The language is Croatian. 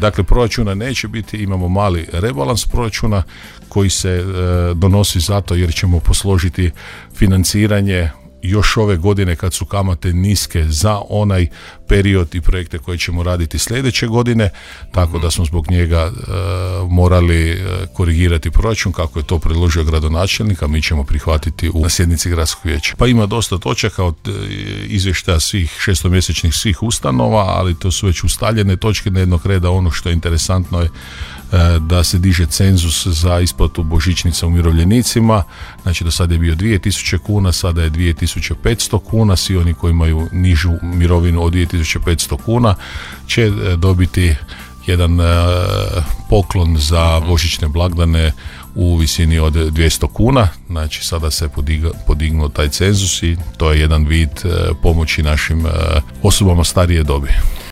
Dakle, proračuna neće biti, imamo mali rebalans proračuna koji se donosi zato jer ćemo posložiti financiranje još ove godine kad su kamate niske za onaj period i projekte koje ćemo raditi sljedeće godine, tako da smo zbog njega morali korigirati proračun kako je to predložio gradonačelnik, a mi ćemo prihvatiti na sjednici gradskog vijeća. Pa ima dosta točaka od izvještaja svih šestomjesečnih svih ustanova, ali to su već ustaljene točke dnevnog reda. Ono što je interesantno je da se diže cenzus za isplatu božićnica umirovljenicima, znači do sada je bio 2000 kuna, sada je 2500 kuna, svi oni koji imaju nižu mirovinu od 2500 kuna će dobiti jedan poklon za božićne blagdane u visini od 200 kuna, znači sada se podignuo taj cenzus i to je jedan vid pomoći našim osobama starije dobi.